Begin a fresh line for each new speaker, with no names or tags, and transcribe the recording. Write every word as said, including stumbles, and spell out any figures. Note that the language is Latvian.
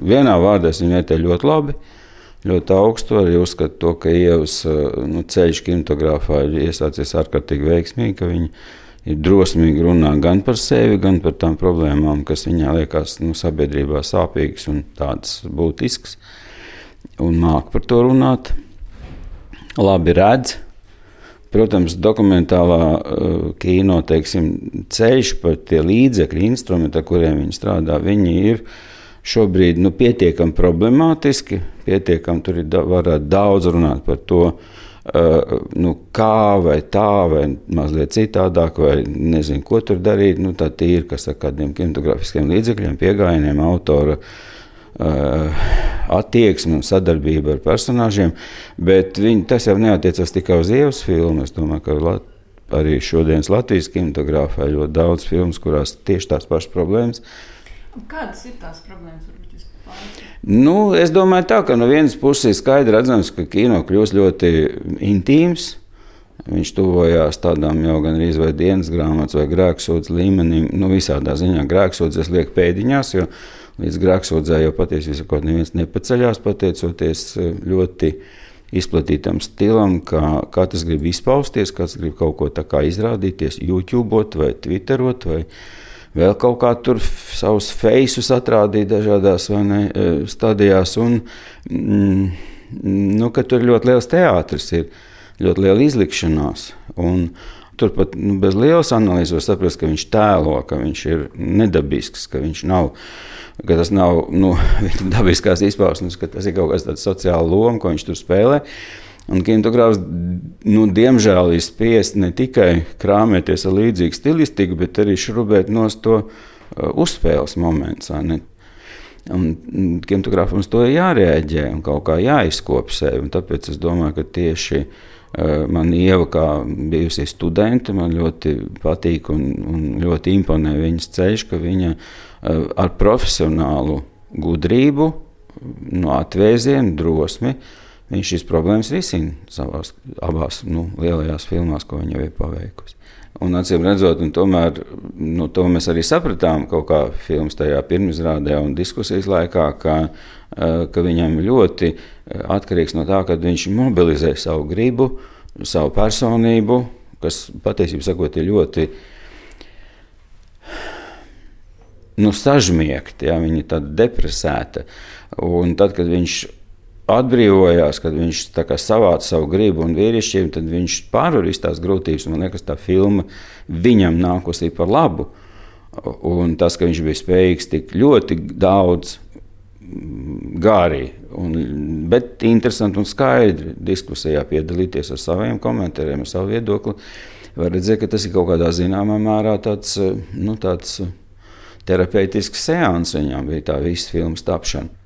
vienā vārdā es viņu vērtēju ļoti labi, ļoti augstu. Arī uzskatu to, ka Ievas nu, ceļš kinematogrāfā ir iesācies ārkārtīgi veiksmīgi, ka viņi ir drosmīgi runā gan par sevi, gan par tām problēmām, kas viņā liekas nu, sabiedrībā sāpīgas un tādas būtiskas. Un māk par to runāt. Labi redz. Protams, dokumentālā uh, kino, teiksim, ceļš par tie līdzekļi, instrumenti, ar kuriem viņi strādā, viņi ir šobrīd nu, pietiekami problemātiski, pietiekami tur ir da, varētu daudz runāt par to, uh, nu, kā vai tā, vai mazliet citādāk, vai nezinu, ko tur darīt. Nu, tā tīri, kas ar kādiem kinematogrāfiskiem līdzekļiem, piegājieniem, autora uh, attieksmi un sadarbību ar personāžiem, bet viņi, tas jau neatiecas tikai uz Ievas filmu. Es domāju, ka Lat, arī šodienas Latvijas kinematogrāfā ir ļoti daudz filmas, kurās tieši tās pašas problēmas.
Kādas ir tās problēmas?
Nu, es domāju tā, ka no vienas puses ir skaidri redzams, ka kino kļūst ļoti intīms. Viņš tuvojās tādām jau gan arī vai dienas grāmatas vai grēksūdzes līmenim. Nu, visādā ziņā grēksūdzes liek pēdiņās, jo līdz grēksūdzē jau patiesībā kaut neviens nepaceļās, pateicoties ļoti izplatītam stilam, kā katrs grib izpausties, katrs grib kaut ko tā kā izrādīties, YouTubeot vai Twitterot vai vēl kaut kā tur savus feisus atrādīt dažādās vai ne, stadijās. Un, mm, nu, ka tur ļoti liels teātris ir, ļoti liela izlikšanās. Un turpat nu, bez lielas analīzes var saprast, ka viņš tēlo, ka viņš ir nedabisks, ka viņš nav, ka tas nav nu, viņa dabiskās izpausmes, ka tas ir kaut kas tāds sociāla loma, ko viņš tur spēlē. Un kinematogrāfs, nu, diemžēl ir spiest ne tikai krāmēties ar līdzīgu stilistiku, bet arī šrubēt nost to uh, uzspēles moments. Un kinematogrāfam uz to ir jārēģē un kaut kā jāizkop sevi. Un tāpēc es domāju, ka tieši uh, man Ieva, kā bijusi studente, man ļoti patīk un, un ļoti imponē viņas ceļš, ka viņa uh, ar profesionālu gudrību, no atvēzienu, drosmi, viņš šīs problēmas risina savās abās nu, lielajās filmās, ko viņa jau ir paveikusi. Un acīm redzot, un tomēr nu, to mēs arī sapratām kaut kā filmas tajā pirmizrādē un diskusijas laikā, ka, ka viņam ļoti atkarīgs no tā, kad viņš mobilizē savu gribu, savu personību, kas patiesībā sakot ir ļoti nu, sažmiegta, ja, viņa ir tāda depresēta. Un tad, kad viņš atbrīvojās, kad viņš tā kā savāca savu gribu un vīrišķību, tad viņš pārvarīs tās grūtības. Man liekas, tā filma viņam nākusi par labu. Un tas, ka viņš bija spējīgs tik ļoti daudz gārī, un, bet interesanti un skaidri diskusijā piedalīties ar saviem komentāriem, ar savu viedokli, var redzēt, ka tas ir kaut kādā zināmā mērā tāds, nu, tāds terapeitisks seans viņam bija tā visas filmas tapšana.